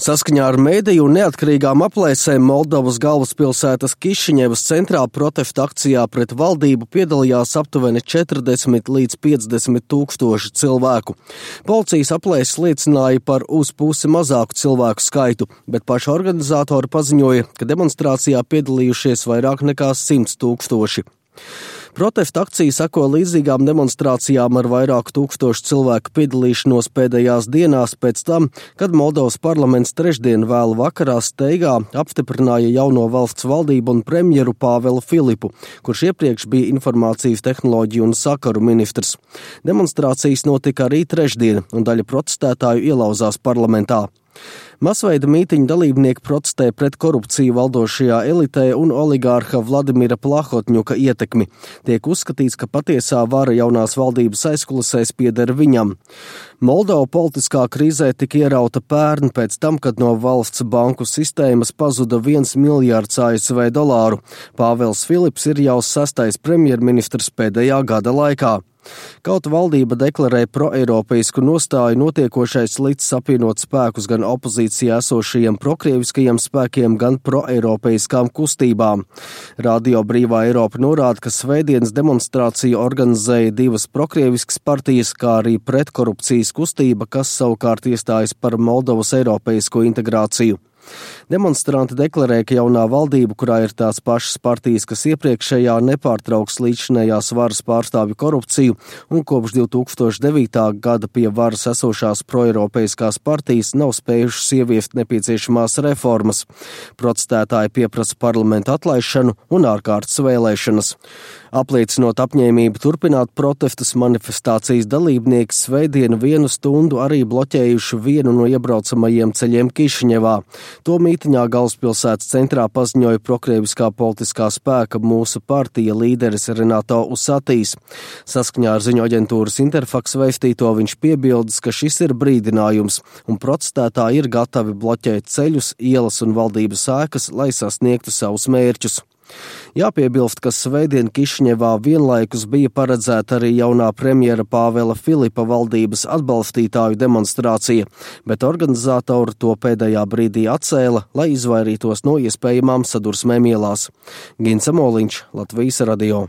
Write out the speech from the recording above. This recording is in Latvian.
Saskaņā ar mediju un neatkarīgām aplēsēm Moldovas galvaspilsētas Kišiņevas centrā protesta akcijā pret valdību piedalījās aptuveni 40 līdz 50 tūkstoši cilvēku. Policijas aplēses liecināja par uz pusi mazāku cilvēku skaitu, bet paši organizatori paziņoja, ka demonstrācijā piedalījušies vairāk nekā 100 tūkstoši. Protesta akcija seko līdzīgām demonstrācijām ar vairāku tūkstošu cilvēku piedalīšanos pēdējās dienās pēc tam, kad Moldovas parlaments trešdien vēlu vakarā steigā apstiprināja jauno valsts valdību un premjeru Pāvelu Filipu, kurš iepriekš bija informācijas tehnoloģiju un sakaru ministrs. Demonstrācijas notika arī trešdien, un daļa protestētāju ielauzās parlamentā. Masveida mītiņu dalībnieki protestē pret korupciju valdošajā elitē un oligārha Vladimira Plahotņuka ietekmi. Tiek uzskatīts, ka patiesā vara jaunās valdības aizkulisēs pieder viņam. Moldova politiskā krīzē tika ierauta pērn pēc tam, kad no valsts banku sistēmas pazuda $1 miljards ASV dolāru. Pāvels Filips ir jau 6. premjerministrs pēdējā gada laikā. Kaut valdība deklarē proeiropeisku nostāju, notiekošais licis apvienot spēkus gan opozīcijā esošajiem prokrieviskajiem spēkiem, gan proeiropeiskām kustībām. Radio Brīvā Eiropa norāda, ka svētdienas demonstrāciju organizēja divas prokrieviskas partijas, kā arī pretkorupcijas kustība, kas savukārt iestājas par Moldovas eiropeisko integrāciju. Demonstranti deklarē, ka jaunā valdība, kurā ir tās pašas partijas, kas iepriekšējā, nepārtrauks līdzinējās varas pārstāvju korupciju, un kopš 2009. gada pie varas esošās proeiropeiskās partijas nav spējušas ieviest nepieciešamās reformas. Protestētāji pieprasa parlamentu atlaišanu un ārkārtas vēlēšanas. Apliecinot apņēmību turpināt protestus, manifestācijas dalībnieki svētdienu 1 stundu arī bloķējuši vienu no iebraucamajiem ceļiem Kišiņevā. To mītiņā galvaspilsētas centrā paziņoja prokrieviskā politiskā spēka Mūsu partija līderis Renato Usatīs. Saskaņā ar ziņu aģentūras Interfax vēstīto viņš piebildes, ka šis ir brīdinājums, un protestētāji ir gatavi bloķēt ceļus, ielas un valdības ēkas, lai sasniegtu savus mērķus. Jāpiebilst, ka svētdien Kišiņevā vienlaikus bija paredzēta arī jaunā premjera Pāvela Filipa valdības atbalstītāju demonstrācija, bet organizatori to pēdējā brīdī atcēla, lai izvairītos no iespējamām sadursmēm ielās. Gins Amoliņš, Latvijas radio.